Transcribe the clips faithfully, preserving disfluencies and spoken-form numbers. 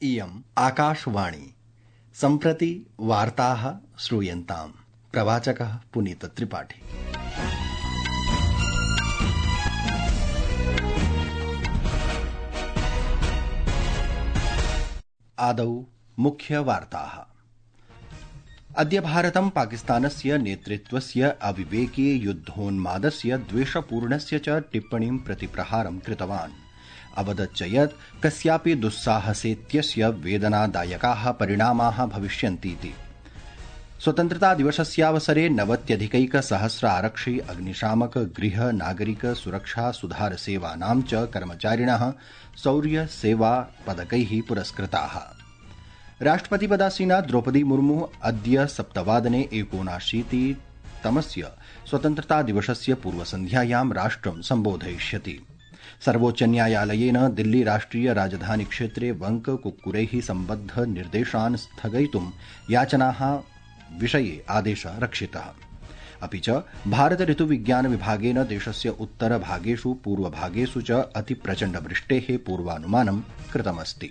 इयम् आकाशवाणी। सम्प्रति वार्ताः श्रूयन्ताम्। प्रवाचकः पुनीत त्रिपाठी। आदौ मुख्यवार्ताः। अद्य भारतं पाकिस्तानस्य नेतृत्वस्य अविवेकी युद्धोन्मादस्य द्वेषपूर्णस्य च टिप्पणीं प्रति प्रहारं कृतवान्। अवदच्च यत् कस्यापि दुस्साहसेत्यस्य वेदनादायकाः परिणामाः भविष्यन्तीति। स्वतन्त्रतादिवसस्यावसरे नवत्यधिकैकसहस्र आरक्षि अग्निशामक गृह नागरिक सुरक्षा सुधार सेवानां च कर्मचारिणः शौर्य सेवा पदकैः पुरस्कृताः। राष्ट्रपतिपदासीना द्रौपदी मुर्मु अद्य सप्तवादने एकोनाशीतितमस्य स्वतन्त्रतादिवसस्य पूर्वसन्ध्यायां राष्ट्रं सम्बोधयिष्यति। सर्वोच्चन्यायालयेन दिल्ली राष्ट्रिय राजधानी क्षेत्रे वंक कुक्कुरैः सम्बद्ध निर्देशान् स्थगयितुं याचनाः विषये आदेशः रक्षितः। अपि च भारत ऋतुविज्ञान विभागेन देशस्य उत्तरभागेषु पूर्वभागेषु च अतिप्रचण्डवृष्टेः पूर्वानुमानं कृतमस्ति।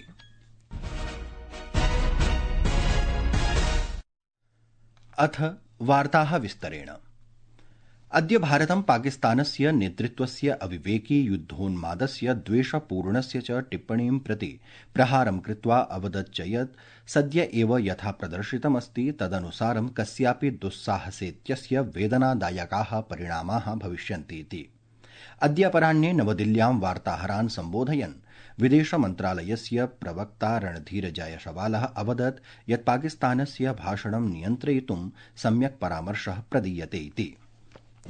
अथ वार्ताः विस्तरेण। अद्य भारतं पाकिस्तानस्य नेतृत्वस्य अविवेकी युद्धोन्मादस्य द्वेषपूर्णस्य च टिप्पणीं प्रति प्रहारं कृत्वा अवदच्च यत् सद्य एव यथा प्रदर्शितमस्ति तदनुसारं कस्यापि दुस्साहसेत्यस्य वेदनादायकाः परिणामाः भविष्यन्तीति। अद्य अपराह्ने नवदिल्ल्यां वार्ताहरान् सम्बोधयन् विदेशमन्त्रालयस्य प्रवक्ता रणधीर जयसवालः अवदत् यत् पाकिस्तानस्य भाषणं नियन्त्रयितुं सम्यक् परामर्शः प्रदीयते इति।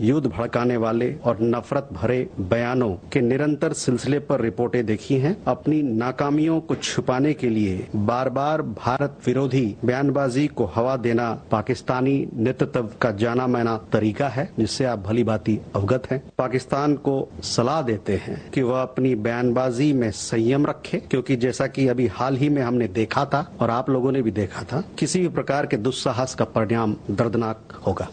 युद्ध भड़काने वाले और नफरत भरे बयानों के निरंतर सिलसिले पर रिपोर्टें देखी हैं। अपनी नाकामियों को छुपाने के लिए बार बार भारत विरोधी बयानबाजी को हवा देना पाकिस्तानी नेतृत्व का जाना माना तरीका है, जिससे आप भली भांति अवगत हैं। पाकिस्तान को सलाह देते हैं कि वह अपनी बयानबाजी में संयम रखे, क्योंकि जैसा कि अभी हाल ही में हमने देखा था और आप लोगों ने भी देखा था, किसी भी प्रकार के दुस्साहस का परिणाम दर्दनाक होगा।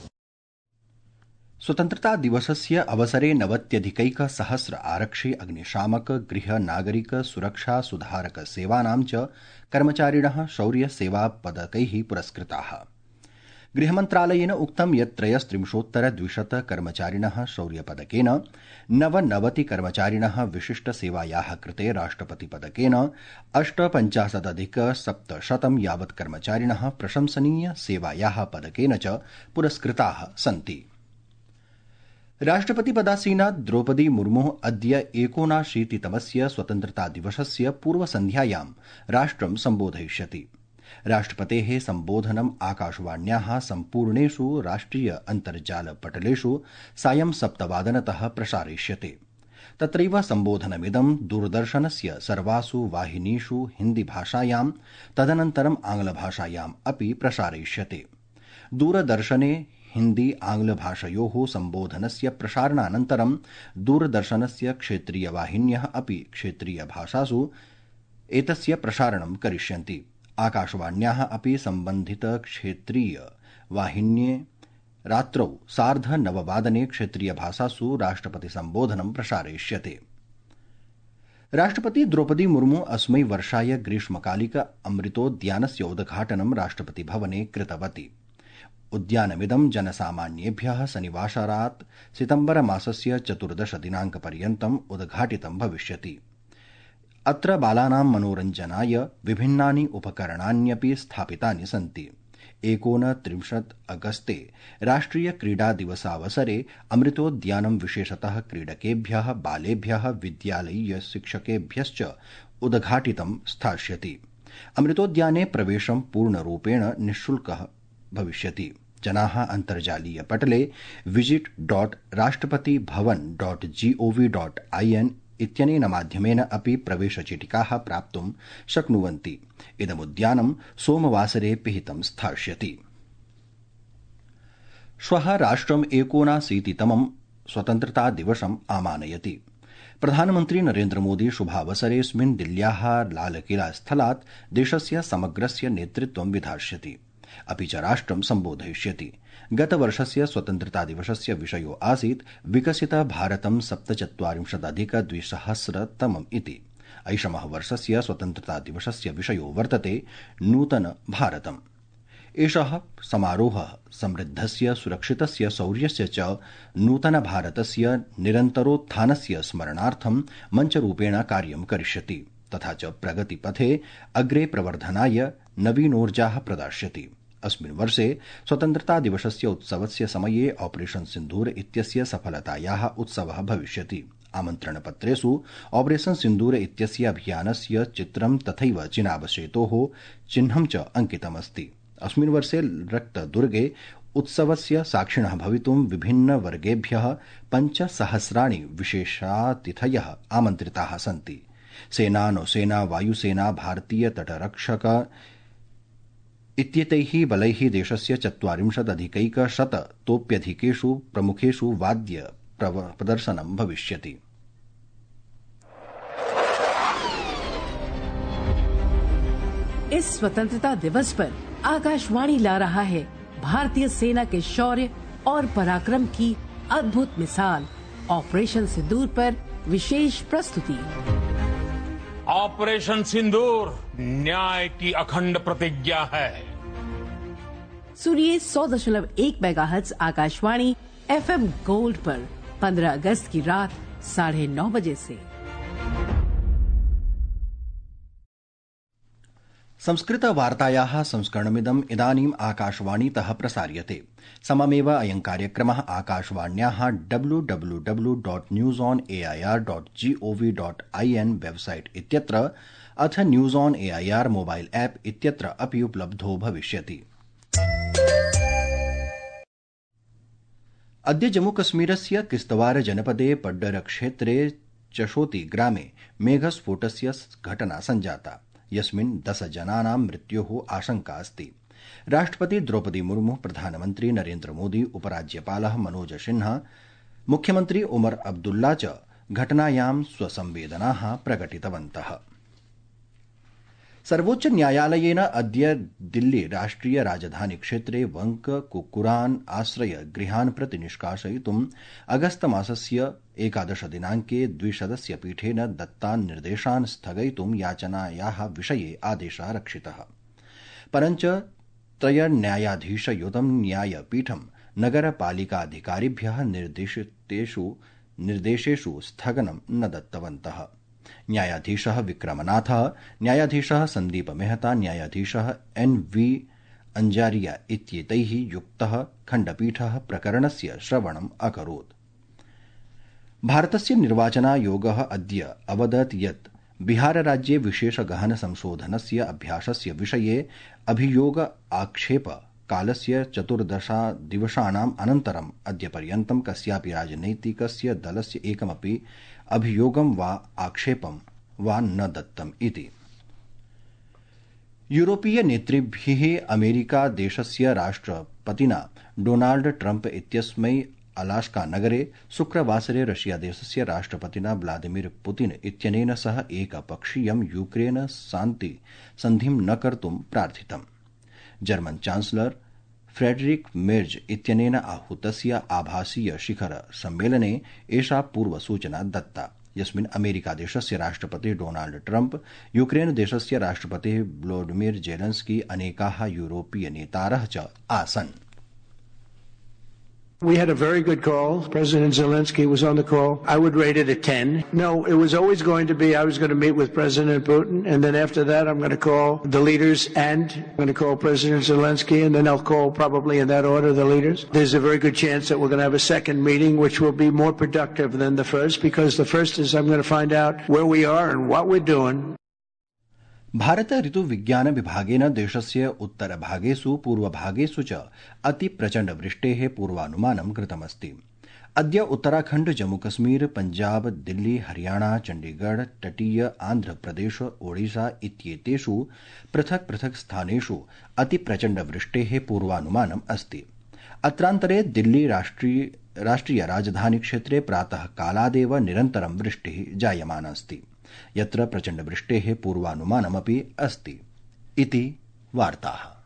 स्वतन्त्रता दिवसस्य अवसरे नवत्यधिकैकसहस्र आरक्षि अग्निशामक गृह नागरिक सुरक्षा सुधारक सेवानां च कर्मचारिणः शौर्य सेवा पदकैः पुरस्कृताः। गृहमन्त्रालयेन उक्तं यत् त्रयस्त्रिंशोत्तर द्विशत कर्मचारिणः शौर्यपदकेन, नवनवति कर्मचारिणः विशिष्ट सेवायाः कृते राष्ट्रपतिपदकेन, अष्टपञ्चाशदधिक सप्तशतं यावत् कर्मचारिणः प्रशंसनीय सेवायाः पदकेन च पुरस्कृताः सन्ति। राष्ट्रपतिपदासीना द्रौपदी मुर्मुः अद्य एकोनाशीतितमस्य स्वतन्त्रतादिवसस्य पूर्वसन्ध्यायां राष्ट्रं सम्बोधयिष्यति। राष्ट्रपतेः सम्बोधनम् आकाशवाण्याः सम्पूर्णेषु राष्ट्रिय अन्तर्जालपटलेषु सायं सप्तवादनतः प्रसारयिष्यते। तत्रैव सम्बोधनमिदं दूरदर्शनस्य सर्वासु वाहिनीषु हिन्दीभाषायां तदनन्तरम् आङ्ग्लभाषायाम् अपि प्रसारयिष्यते। दूरदर्शने हिन्दी आङ्ग्लभाषयोः सम्बोधनस्य प्रसारणानन्तरं दूरदर्शनस्य क्षेत्रीयवाहिन्यः अपि क्षेत्रीयभाषासु एतस्य प्रसारणं करिष्यन्ति। आकाशवाण्याः अपि सम्बन्धितक्षेत्रीयवाहिन्ये रात्रौ सार्धनववादने क्षेत्रीयभाषासु राष्ट्रपतिसम्बोधनं प्रसारयिष्यते। राष्ट्रपति द्रौपदी मुर्मु अस्मै वर्षाय ग्रीष्मकालिक अमृतोद्यानस्य उद्घाटनं राष्ट्रपतिभवने कृतवती। उद्यानमिदं जनसामान्येभ्यः शनिवासरात् सितम्बरमासस्य चतुर्दश दिनाङ्कपर्यन्तम् उद्घाटितं भविष्यति। अत्र बालानां मनोरञ्जनाय विभिन्नानि उपकरणान्यपि स्थापितानि सन्ति। एकोनत्रिंशत् अगस्ते राष्ट्रिय क्रीडा दिवसावसरे अमृतोद्यानं विशेषतः क्रीडकेभ्यः, बालेभ्यः, विद्यालयीय शिक्षकेभ्यश्च उद्घाटितं स्थास्यति। अमृतोद्याने प्रवेशं पूर्णरूपेण निःशुल्कः भविष्यति। जनाः अन्तर्जालीय पटले visit dot Rashtrapati Bhavan dot G O V dot IN इत्यनेन माध्यमेन अपि प्रवेशचीटिकाः प्राप्तुं शक्नुवन्ति। इदमुद्यानं सोमवासरे पिहितं स्थास्यति। श्वः राष्ट्रम् एकोनाशीतितमं स्वतन्त्रता दिवसम् आमानयति। प्रधानमन्त्री नरेन्द्र मोदी शुभावसरेऽस्मिन् दिल्ल्याः लालकिला स्थलात् देशस्य समग्रस्य नेतृत्वं विधास्यति। अपि च राष्ट्रं सम्बोधयिष्यति। गतवर्षस्य स्वतन्त्रतादिवसस्य विषयो आसीत् विकसित भारतं सप्तचत्वारिंशदधिक द्विसहस्रतमम् इति। ऐषमः वर्षस्य स्वतन्त्रता दिवसस्य विषयो वर्तते नूतन भारतम्। एषः समारोहः समृद्धस्य सुरक्षितस्य शौर्यस्य च नूतन भारतस्य निरन्तरोत्थानस्य स्मरणार्थं मञ्चरूपेण कार्यं करिष्यति तथा च प्रगतिपथे अग्रे प्रवर्धनाय नवीनोर्जाः प्रदास्यति। अस्मिन् वर्षे स्वतन्त्रता दिवसस्य उत्सवस्य समये ऑपरेशन सिन्दूर इत्यस्य सफलतायाः उत्सवः भविष्यति। आमन्त्रणपत्रेषु ऑपरेशन सिन्दूर इत्यस्य अभियानस्य चित्रं तथैव चिनाब सेतोः चिह्नं च अंकितमस्ति। अस्मिन् वर्षे रक्तदुर्गे उत्सवस्य साक्षिणः भवितुं विभिन्नवर्गेभ्यः पञ्चसहस्राणि विशेषातिथयः आमन्त्रिताः सन्ति। सेना, नौसेना, वायुसेना, भारतीय तटरक्षक इत्येतैः बलैः देशस्य चत्वारिंशदधिकैकशततोप्यधिकेषु प्रमुखेषु वाद्य प्रदर्शनं भविष्यति। इस स्वतंत्रता दिवस पर आकाशवाणी ला रहा है भारतीय सेना के शौर्य और पराक्रम की अद्भुत मिसाल ऑपरेशन सिंदूर पर विशेष प्रस्तुति। ऑपरेशन सिंदूर न्याय की अखंड प्रतिज्ञा है। सुनिए सौ दशमलव एक मेगाहर्ट्ज आकाशवाणी एफएम गोल्ड पर पंद्रह अगस्त की रात साढ़े नौ बजे से। संस्कृत वार्तायाः संस्करणमिदम् इदानीम् आकाशवाणीतः प्रसार्यते। सममेव अयं कार्यक्रमः आकाशवाण्याः W W W dot news on A I R dot G O V dot I N website इत्यत्र अथ news on A I R mobile app इत्यत्र अपि उपलब्धो भविष्यति। अद्य जम्मूकश्मीरस्य किश्तवार जनपदे पड्डर क्षेत्रे चशोती ग्रामे मेघस्फोटस्य घटना सञ्जाता यस्मिन् दश जनानां मृत्योः आशंका अस्ति। राष्ट्रपति द्रौपदी मुर्मू, प्रधानमन्त्री नरेन्द्र मोदी, उपराज्यपालः मनोज सिन्हा, मुख्यमन्त्री उमर अब्दुल्ला च घटनायां स्वसंवेदनाः प्रकटितवन्तः। सर्वोच्च न्यायालयेन अद्य दिल्ली राष्ट्रिय राजधानी क्षेत्रे वंक कुक्कुरान् आश्रय गृहान् प्रति निष्कासयितुम् अगस्त मासस्य एकादश दिनांके द्विसदस्य पीठेन दत्तान् निर्देशान् स्थगयितुं याचनायाः विषये आदेशः रक्षितः। परञ्च त्रयन्यायाधीशयुतं न्यायपीठं नगरपालिकाधिकारिभ्यः निर्देशितेषु निर्देशेषु स्थगनं न दत्तवन्तः। न्यायाधीशः विक्रमनाथः, न्यायाधीशः सन्दीप मेहता, न्यायाधीशः एन वी अंजारिया इत्येतैः युक्तः खण्डपीठः प्रकरणस्य श्रवणम् अकरोत्। भारतस्य निर्वाचनायोगः अद्य अवदत् यत् बिहारराज्ये विशेष गहन संशोधनस्य अभ्यासस्य विषये अभियोग आक्षेप कालस्य चतुर्दशादिवसानाम् अनन्तरम् अद्यपर्यन्तं कस्यापि राजनैतिकस्य दलस्य एकमपि अभियोगं वा आक्षेपं वा न दत्तम् इति। यूरोपीय नेतृभिः अमेरिका देशस्य राष्ट्रपतिना डोनाल्ड ट्रम्प इत्यस्मै अलास्का नगरे शुक्रवासरे रशिया देशस्य राष्ट्रपतिना व्लादिमीर पुतिन इत्यनेन सह एकपक्षीयं यूक्रेन शान्ति सन्धिं न कर्तुं प्रार्थितम्। जर्मन चांसलर फ्रेडरिक मेर्ज इत्यनेन आहूतस्य आभासीय शिखर सम्मेलने एषा पूर्वसूचना दत्ता, यस्मिन् अमेरिकादेशस्य राष्ट्रपतिः डोनाल्ड ट्रम्प, यूक्रेन देशस्य राष्ट्रपतिः व्लोडिमिर जेलेंस्की, अनेकाः यूरोपीय नेतारः च आसन्। We had a very good call. President Zelensky was on the call. I would rate it a ten. No, it was always going to be, I was going to meet with President Putin, and then after that I'm going to call the leaders, and I'm going to call President Zelensky, and then I'll call probably in that order the leaders. There's a very good chance that we're going to have a second meeting, which will be more productive than the first, because the first is I'm going to find out where we are and what we're doing. Bharata ऋतुविज्ञान विभागेन देशस्य उत्तरभागेषु पूर्वभागेषु च अतिप्रचण्डवृष्टेः पूर्वानुमानं कृतमस्ति। अद्य उत्तराखण्ड, जम्मूकश्मीर, पञ्जाब, दिल्ली, हरियाणा, चण्डीगढ़, तटीय आन्ध्रप्रदेश, ओडिशा इत्येतेषु पृथक् पृथक् स्थानेषु अतिप्रचण्डवृष्टेः पूर्वानुमानम् अस्ति। अत्रान्तरे दिल्ली राष्ट्रिय राष्ट्रिय राजधानी क्षेत्रे प्रातः कालादेव निरन्तरं वृष्टिः जायमाना अस्ति, यत्र प्रचण्डवृष्टेः पूर्वानुमानमपि अस्ति इति वार्ताः।